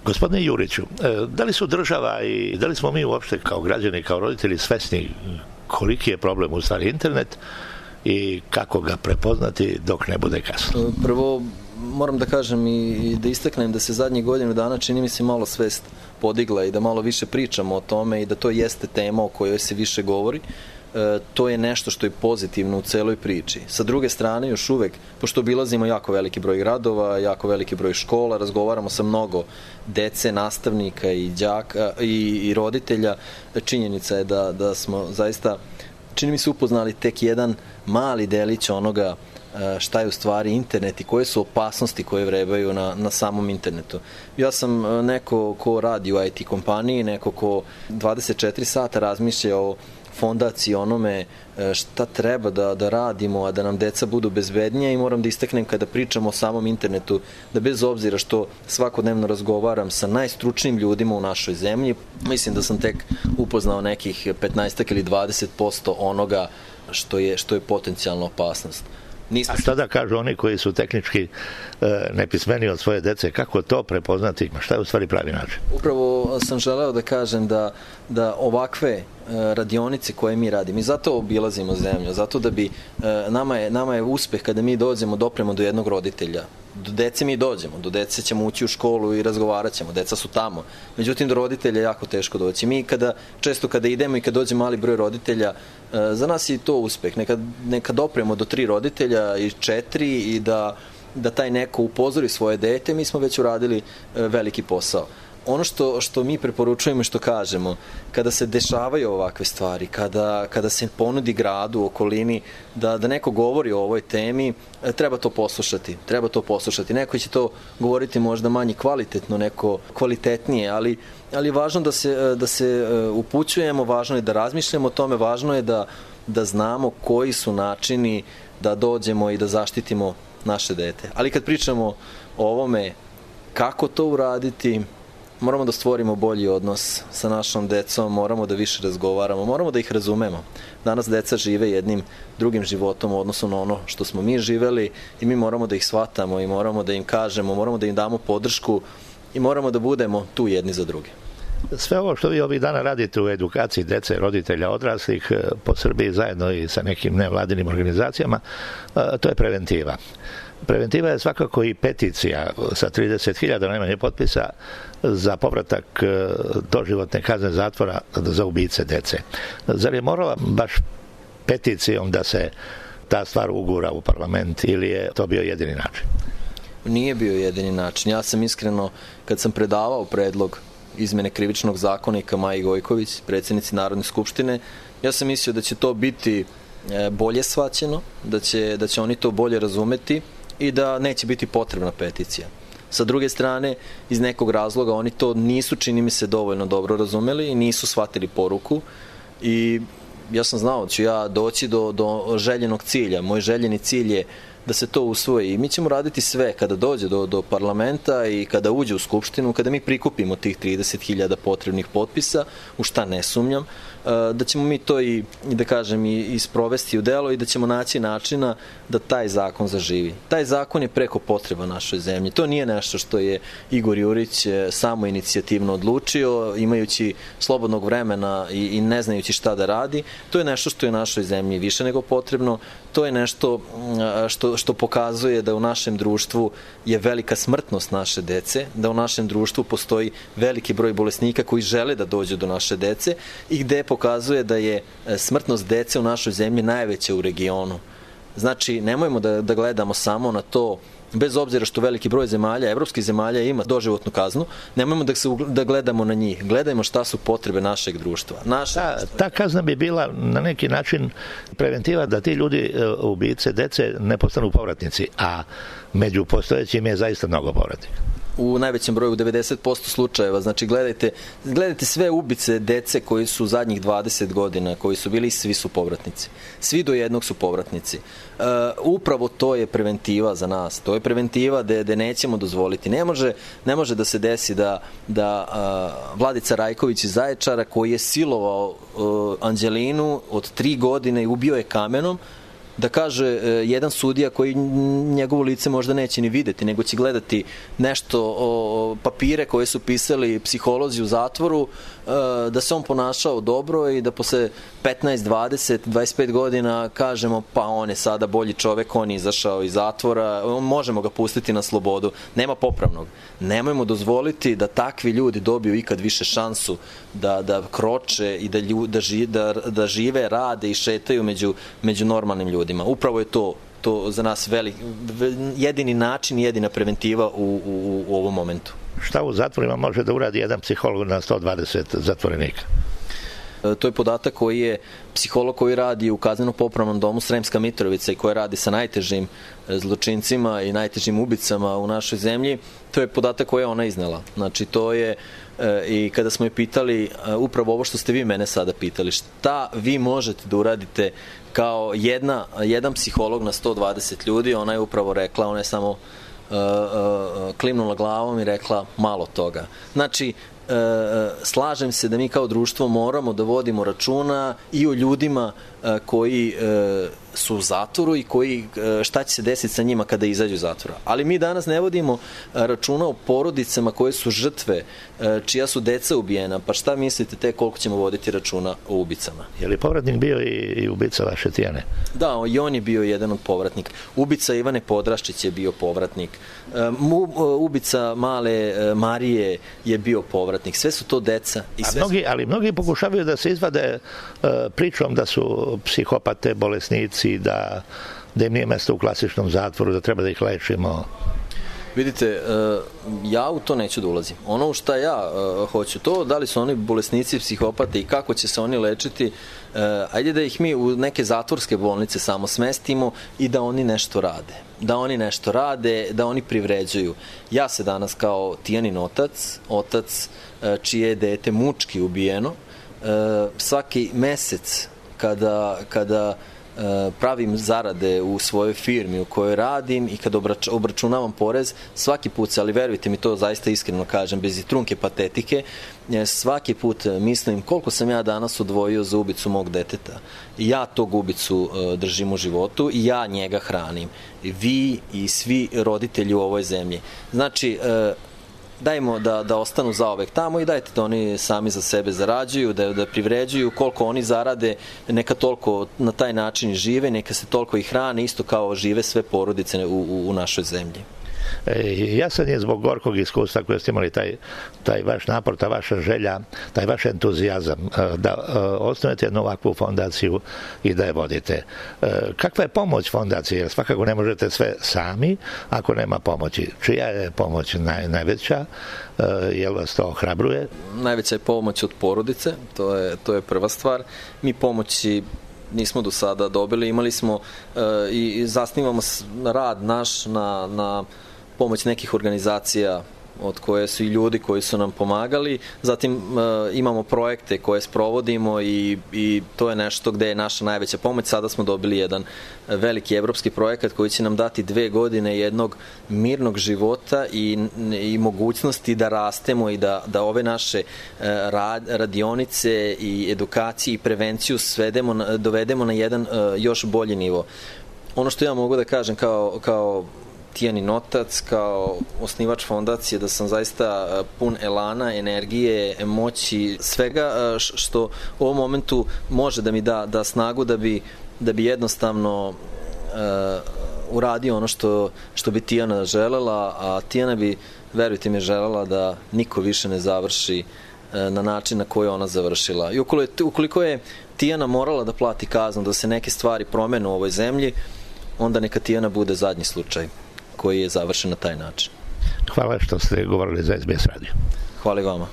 Gospodine Juriću, da li su država i da li smo mi uopšte kao građani, kao roditelji svesni koliki je problem u stvari internet i kako ga prepoznati dok ne bude kasno? Prvo, moram da kažem i da istaknem da se zadnjih godinu dana čini mi se malo svest podigla i da malo više pričamo o tome i da to jeste tema o kojoj se više govori. To je nešto što je pozitivno u celoj priči. Sa druge strane, još uvek, pošto obilazimo jako veliki broj gradova, jako veliki broj škola, razgovaramo sa mnogo dece, nastavnika i đaka i roditelja, činjenica je da smo zaista, čini mi se, upoznali tek jedan mali delić onoga šta je u stvari internet i koje su opasnosti koje vrebaju na samom internetu. Ja sam neko ko radi u IT kompaniji, neko ko 24 sata razmišlja o fondaciji, onome šta treba da radimo, a da nam deca budu bezbednija, i moram da istaknem kada pričamo o samom internetu, da bez obzira što svakodnevno razgovaram sa najstručnijim ljudima u našoj zemlji, mislim da sam tek upoznao nekih 15 ili 20% onoga što je potencijalna opasnost. A šta da kažu oni koji su tehnički nepismeni od svoje dece, kako to prepoznati, šta je u stvari pravi način? Upravo sam želeo da kažem da ovakve radionice koje mi radimo, i zato obilazimo zemlju, zato da bi, nama je uspeh kada mi dopremo do jednog roditelja. Do dece mi dođemo, do dece ćemo ući u školu i razgovarat ćemo, deca su tamo. Međutim, do roditelja je jako teško doći. Mi često kada idemo i kada dođe mali broj roditelja, za nas je to uspeh. Neka dopremo do 3 roditelja i 4 i da taj neko upozori svoje dete, mi smo već uradili veliki posao. Ono što mi preporučujemo i što kažemo, kada se dešavaju ovakve stvari, kada se ponudi gradu, okolini, da neko govori o ovoj temi, treba to poslušati. Neko će to govoriti možda manje kvalitetno, neko kvalitetnije, ali je važno da se upućujemo, važno je da razmišljamo o tome, važno je da znamo koji su načini da dođemo i da zaštitimo naše dete. Ali kad pričamo o ovome, kako to uraditi, moramo da stvorimo bolji odnos sa našom decom, moramo da više razgovaramo, moramo da ih razumemo. Danas deca žive jednim drugim životom u odnosu na ono što smo mi živeli i mi moramo da ih shvatamo i moramo da im kažemo, moramo da im damo podršku i moramo da budemo tu jedni za druge. Sve ovo što vi ovih dana radite u edukaciji dece, roditelja, odraslih po Srbiji zajedno i sa nekim nevladinim organizacijama, to je preventiva. Preventiva je svakako i peticija sa 30.000 najmanje potpisa za povratak doživotne kazne zatvora za ubice dece. Zar je morala baš peticijom da se ta stvar ugura u parlament ili je to bio jedini način? Nije bio jedini način. Ja sam iskreno, kad sam predavao predlog izmene krivičnog zakonika Maji Gojković, predsjednici Narodne skupštine, ja sam mislio da će to biti bolje shvaćeno, da će oni to bolje razumeti i da neće biti potrebna peticija. Sa druge strane, iz nekog razloga oni to nisu, čini mi se, dovoljno dobro razumeli i nisu shvatili poruku i ja sam znao da ću ja doći do željenog cilja. Moj željeni cilj je da se to usvoji i mi ćemo raditi sve kada dođe do parlamenta i kada uđe u skupštinu, kada mi prikupimo tih 30.000 potrebnih potpisa, u šta ne sumnjam, da ćemo mi to i da kažem i sprovesti u delo i da ćemo naći načina da taj zakon zaživi. Taj zakon je preko potreba našoj zemlji. To nije nešto što je Igor Jurić samo inicijativno odlučio, imajući slobodnog vremena i ne znajući šta da radi. To je nešto što je našoj zemlji više nego potrebno. To je nešto što pokazuje da u našem društvu je velika smrtnost naše dece, da u našem društvu postoji veliki broj bolesnika koji žele da dođu do naše dece i gde pokazuje da je smrtnost dece u našoj zemlji najveća u regionu. Znači, nemojmo da gledamo samo na to, bez obzira što veliki broj zemalja, evropskih zemalja, ima doživotnu kaznu, nemojmo da gledamo na njih. Gledajmo šta su potrebe našeg društva. Ta kazna bi bila na neki način preventiva da ti ljudi, ubice dece, ne postanu povratnici, a među postojećim je zaista mnogo povratnika. U najvećem broju, u 90% slučajeva. Znači, gledajte sve ubice dece koji su zadnjih 20 godina, koji su bili, svi su povratnici. Svi do jednog su povratnici. Upravo to je preventiva za nas. To je preventiva da nećemo dozvoliti. Ne može da se desi da Vladica Rajković iz Zaječara, koji je silovao Anđelinu od 3 godine i ubio je kamenom, da kaže jedan sudija koji njegovo lice možda neće ni videti, nego će gledati nešto, papire koje su pisali psiholozi u zatvoru, da se on ponašao dobro i da posle 15, 20, 25 godina kažemo pa on je sada bolji čovek, on je izašao iz zatvora, možemo ga pustiti na slobodu. Nema popravnog. Nemojmo dozvoliti da takvi ljudi dobiju ikad više šansu da kroče i da žive, rade i šetaju među normalnim ljudima. Upravo je to za nas jedini način, jedina preventiva u ovom momentu. Šta u zatvorima može da uradi jedan psiholog na 120 zatvorenika? To je podatak koji je psiholog koji radi u kazneno-popravnom domu Sremska Mitrovica i koji radi sa najtežim zločincima i najtežim ubicama u našoj zemlji. To je podatak koji je ona iznela. Znači to je i kada smo je pitali upravo ovo što ste vi mene sada pitali, šta vi možete da uradite kao jedan psiholog na 120 ljudi, ona je upravo rekla, ona je samo klimnula glavom i rekla malo toga. Znači, slažem se da mi kao društvo moramo da vodimo računa i o ljudima koji su u zatvoru i šta će se desiti sa njima kada izađu iz zatvora. Ali mi danas ne vodimo računa o porodicama koje su žrtve, čija su deca ubijena, pa šta mislite te koliko ćemo voditi računa o ubicama? Je li povratnik bio i ubica vaše Tijane? Da, i on je bio jedan od povratnika. Ubica Ivane Podraščić je bio povratnik. Ubica male Marije je bio povratnik. Sve su to deca. Ali mnogi pokušavaju da se izvade pričom da su psihopate, bolesnici, da im nije mesto u klasičnom zatvoru, da treba da ih lečimo. Vidite, ja u to neću da ulazim. Ono u šta ja hoću to, da li su oni bolesnici, psihopate i kako će se oni lečiti, ajde da ih mi u neke zatvorske bolnice samo smestimo i da oni nešto rade. Da oni privređuju. Ja se danas kao Tijanin otac čije je dete mučki ubijeno, svaki mesec kada pravim zarade u svojoj firmi u kojoj radim i kad obračunavam porez, svaki put, ali verujte mi, to zaista iskreno kažem, bez i trunke patetike, svaki put mislim koliko sam ja danas odvojio za ubicu mog deteta. Ja tog ubicu držim u životu i ja njega hranim. Vi i svi roditelji u ovoj zemlji. Znači, dajmo da ostanu zaovek tamo i dajte da oni sami za sebe zarađuju, da privređuju, koliko oni zarade, neka toliko na taj način žive, neka se toliko i hrane, isto kao žive sve porodice u našoj zemlji. Jasan je zbog gorkog iskustva koje ste imali taj vaš napor, ta vaša želja, taj vaš entuzijazam da osnovete jednu ovakvu fondaciju i da je vodite. Kakva je pomoć fondacije? Jer svakako ne možete sve sami ako nema pomoći. Čija je pomoć najveća? Jel vas to ohrabruje? Najveća je pomoć od porodice, to je prva stvar. Mi pomoći nismo do sada dobili, imali smo i zasnivamo rad naš na pomoć nekih organizacija od koje su i ljudi koji su nam pomagali. Zatim imamo projekte koje sprovodimo i to je nešto gde je naša najveća pomoć. Sada smo dobili jedan veliki evropski projekat koji će nam dati 2 godine jednog mirnog života i mogućnosti da rastemo i da ove naše radionice i edukacije i prevenciju dovedemo na jedan još bolji nivo. Ono što ja mogu da kažem kao Tijanin otac, kao osnivač fondacije, da sam zaista pun elana, energije, moći, svega što u ovom momentu može da mi da snagu da bi jednostavno uradio ono što bi Tijana želela, a Tijana bi, verujte mi, želela da niko više ne završi na način na koji je ona završila. I ukoliko je Tijana morala da plati kaznu, da se neke stvari promene u ovoj zemlji, onda neka Tijana bude zadnji slučaj koji je završen na taj način. Hvala što ste govorili za SBS radio. Hvala i vama.